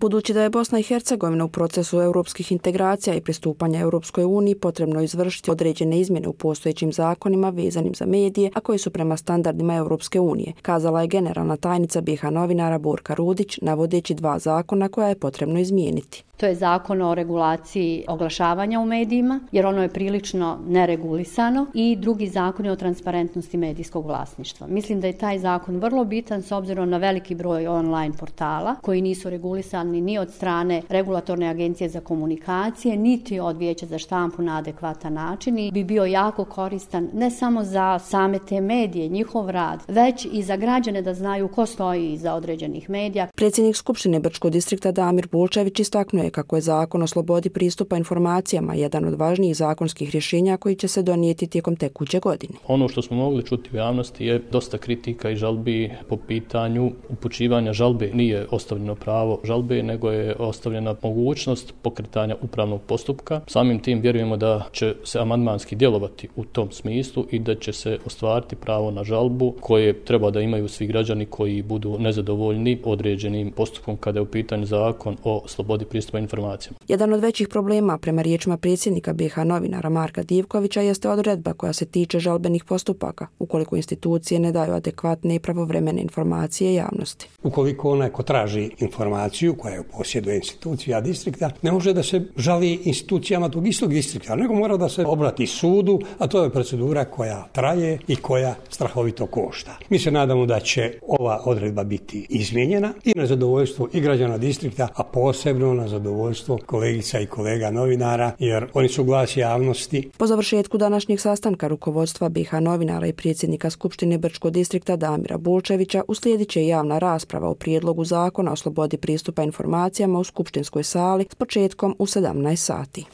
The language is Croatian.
Budući da je Bosna i Hercegovina u procesu europskih integracija i pristupanja Europskoj uniji, potrebno izvršiti određene izmjene u postojećim zakonima vezanim za medije, a koji su prema standardima Europske unije, kazala je generalna tajnica BiH novinara Borka Rudić, navodeći 2 zakona koja je potrebno izmijeniti. To je zakon o regulaciji oglašavanja u medijima, jer ono je prilično neregulisano, i drugi zakon je o transparentnosti medijskog vlasništva. Mislim da je taj zakon vrlo bitan s obzirom na veliki broj online portala koji nisu regulisani ni od strane Regulatorne agencije za komunikacije, niti od Vijeća za štampu na adekvatan način, i bi bio jako koristan ne samo za same te medije, njihov rad, već i za građane da znaju ko stoji iza određenih medija. Predsjednik Skupštine Brčkog distrikta Damir Bulčević istaknuo je kako je Zakon o slobodi pristupa informacijama jedan od važnijih zakonskih rješenja koji će se donijeti tijekom tekuće godine. Ono što smo mogli čuti u javnosti je dosta kritika i žalbi po pitanju upućivanja žalbe. Nije ostavljeno pravo žalbe, nego je ostavljena mogućnost pokretanja upravnog postupka. Samim tim vjerujemo da će se amandmanski djelovati u tom smislu i da će se ostvariti pravo na žalbu koje treba da imaju svi građani koji budu nezadovoljni određenim postupkom kada je u pitanju Zakon o slobodi pristupa informacijama. Jedan od većih problema, prema riječima predsjednika BiH novinara Marka Divkovića, jeste odredba koja se tiče žalbenih postupaka, ukoliko institucije ne daju adekvatne i pravovremene informacije javnosti. Ukoliko onaj ko traži informaciju koja je u posjedu institucija distrikta, ne može da se žali institucijama tog istog distrikta, nego mora da se obrati sudu, a to je procedura koja traje i koja strahovito košta. Mi se nadamo da će ova odredba biti izmijenjena i na zadovoljstvo i građana distrikta, a posebno na zadovoljstvo kolegica i kolega novinara, jer oni su glas javnosti. Po završetku današnjeg sastanka rukovodstva BiH novinara i predsjednika Skupštine Brčkog distrikta Damira Bulčevića uslijedit će javna rasprava o prijedlogu Zakona o slobodi pristupa informacijama u skupštinskoj sali s početkom u 17 sati.